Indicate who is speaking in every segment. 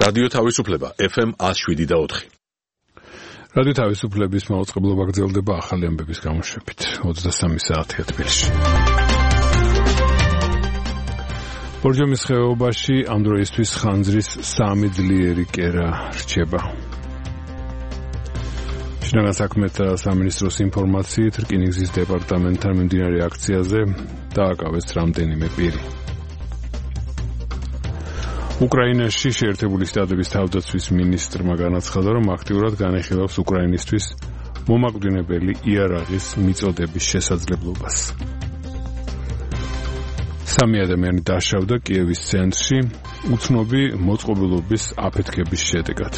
Speaker 1: რადიო თავისუფლება FM 107.4.
Speaker 2: რადიო თავისუფლების მაუწყებლობა გრძელდება ახალი ამბების გამოშვებით 23 საათია თბილისში. ბორჯომის ხეობაში ამ დროისთვის ხანძრის 3 ძლიერი კერა რჩება. შინაგან საქმეთა სამინისტროს ინფორმაციით რკინიგზის დეპარტამენტთან მიმდინარე აქციაზე დააკავეს რამდენიმე პირი. უკრაინაში შეერთებული შტატების თავდაცვის მინისტრმა განაცხადა, რომ აქტიურად განეხილავს უკრაინისთვის მომაკვდინებელი იარაღის მიწოდების შესაძლებლობას. 3 ადამიანი დაშავდა კიევის ცენტრში უცნობი მოწყობილობის აფეთქების შედეგად.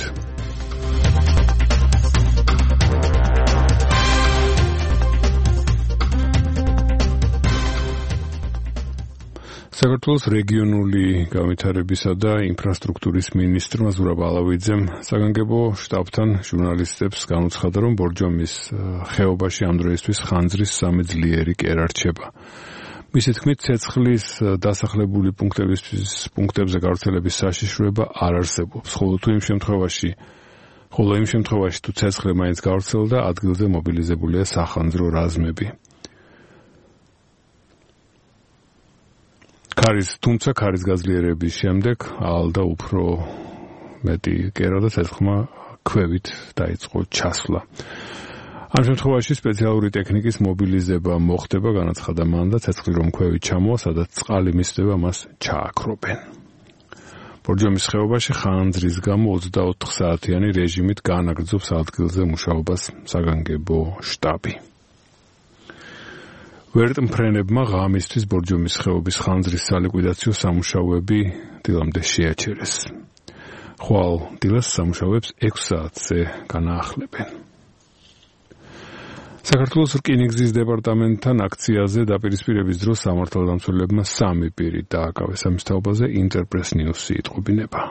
Speaker 2: საქართველოს რეგიონული განვითარებისა და ინფრასტრუქტურის მინისტრმა ზურაბ ალავიძემ საგანგებო შტაბთან ჟურნალისტებს განუცხადა, რომ ბორჯომის ხეობაში ამ დროისთვის ხანძრის 3 ძლიერი კერა რჩება. მისი თქმით, ცეცხლის დასახლებული პუნქტებზე გავრცელების საშიშროება არ არსებობს, ხოლო იმ შემთხვევაში თუ ცეცხლი მაინც გავრცელდა, ადგილზე მობილიზებულია სახანძრო რაზმები. თუმცა ქარის გაძლიერების შემდეგ ალდა უფრო მეტი კერა და ცეცხლმა ქვევით დაიწყო ჩასვლა. ამ შემთხვევაში სპეციალური ტექნიკის მობილიზება მოხდება, განაცხადა მან და ცეცხლი რომ ქვევით ჩამოვა, სადაც წყალი მისდება, მას ჩააქრობენ. ბორჯომის ხეობაში ხანძრის გამო 24 საათიანი რეჟიმით განაგრძობს ადგილზე მუშაობას საგანგებო შტაბი. ვერტმფრენებმა ღამისთვის ბორჯომის ხეობის ხანძრის სალიკვიდაციო სამუშაოები დილამდე შეაჩერეს. ხვალ დილას სამუშაოებს 6 საათზე განაახლებენ. საქართველოს რკინიგზის დეპარტამენტთან აქციაზე დაპირისპირების დროს სამართალდამცველებმა 3 პირი დააკავეს. ამის თაობაზე ინტერპრეს ნიუსი იტყობინება.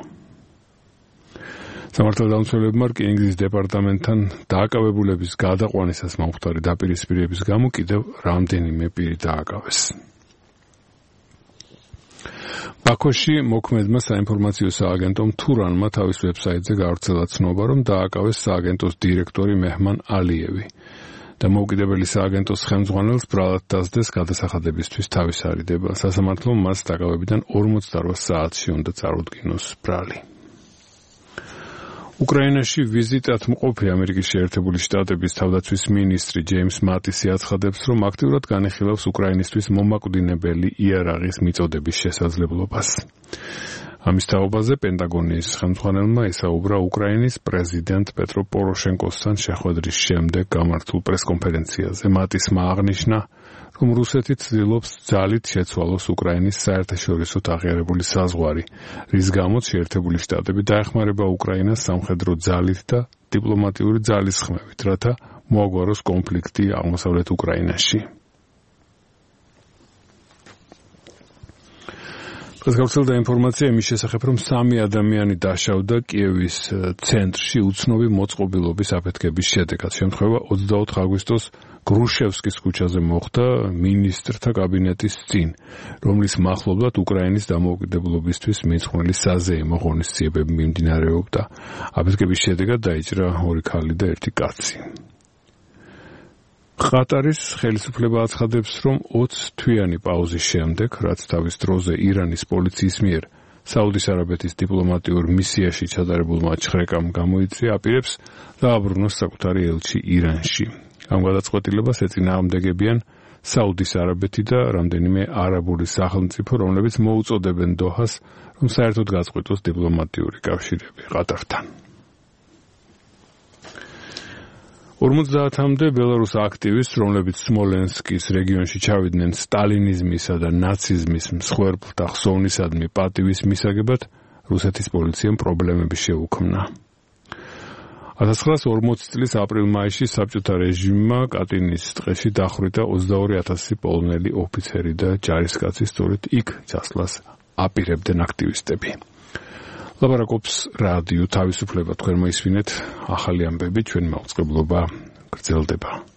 Speaker 2: სამართალდამცველებმა რკინიგზის დეპარტამენტთან დააკავებულების გადაყვანისას მომხდარი დაპირისპირების გამო კიდევ რამდენიმე პირი დააკავეს. ბაქოში მოქმედმა საინფორმაციო სააგენტომ თურანმა თავის ვებსაიტზე გავრცელა ცნობა, რომ დააკავეს სააგენტოს დირექტორი მეჰმან ალიევი და მოუკიდებელი სააგენტოს ხელმძღვანელს ბრალად დასდეს გადასახადებისთვის თავის არიდება. სასამართლომ მას დაკავებიდან 48 საათში უნდა წარუდგინოს ბრალი. უკრაინაში ვიზიტად მყოფი ამერიკის შეერთებული შტატების თავდაცვის მინისტრი ჯეიმს მატისი აცხადებს, რომ აქტიურად განეხილავს უკრაინისთვის მომაკვდინებელი იარაღის მიწოდების შესაძლებლობას. ამის თაობაზე პენტაგონის ხელმძღვანელმა ისაუბრა უკრაინის პრეზიდენტ პეტრო პოროშენკოსთან შეხვედრის შემდეგ გამართულ პრესკონფერენციაზე. მატისმა აღნიშნა, რომ რუსეთი ცდილობს ძალით შეცვალოს უკრაინის საერთაშორისოდ აღიარებული საზღვარი, რის გამოც შეერთებული შტატები დაეხმარება უკრაინას სამხედრო ძალით და დიპლომატიური ძალისხმევით, რათა მოაგვაროს კონფლიქტი აღმოსავლეთ უკრაინაში. დღეს გავრცელდა ინფორმაცია იმის შესახებ, რომ 3 ადამიანი დაშავდა კიევის ცენტრში უცნობი მოწყობილობის აფეთქების შედეგად. შემთხვევა 24 აგვისტოს გრუშევსკის ქუჩაზე მოხდა მინისტრთა კაბინეტის წინ, რომლის მახლობლად უკრაინის დამოუკიდებლობისთვის მიძღვნილი საზეიმო ღონისძიებები მიმდინარეობდა. აფეთქების შედეგად დაიჭრა 2 ქალი და 1 კაცი. ყატარის ხელისუფლება აცხადებს, რომ 20 თვიანი პაუზის შემდეგ, რაც თავის დროზე ირანის პოლიციის მიერ საუდის არაბეთის დიპლომატიურ მისიაში ჩატარებულმა ჩხრეკამ გამოიწვია, აპირებს დააბრუნოს საკუთარი ელჩი ირანში. ამ გადაწყვეტილებას ეწინააღმდეგებიან საუდის არაბეთი და რამდენიმე არაბული სახელმწიფო, რომლებიც მოუწოდებენ დოჰას, რომ საერთოდ გაწყვეტოს დიპლომატიური კავშირები ყატართან. 50-მდე ბელარუს აქტივისტს, რომლებიც სმოლენსკის რეგიონში ჩავიდნენ სტალინიზმისა და ნაციზმის მსხვერპლთა ხსოვნისადმი პატივის მისაგებად, რუსეთის პოლიციამ პრობლემები შეუქმნა. 1940 წლის აპრილ-მაისში საბჭოთა რეჟიმმა კატინის ტყეში დახვრიტა 22,000 პოლონელი ოფიცერი და ჯარისკაცი, სწორედ იქ ჩასვლას აპირებდნენ აქტივისტები. ლაპარაკობს რადიო თავისუფლება, თქვენ მოისმინეთ ახალი ამბები, ჩვენ მაუწყებლობა გრძელდება.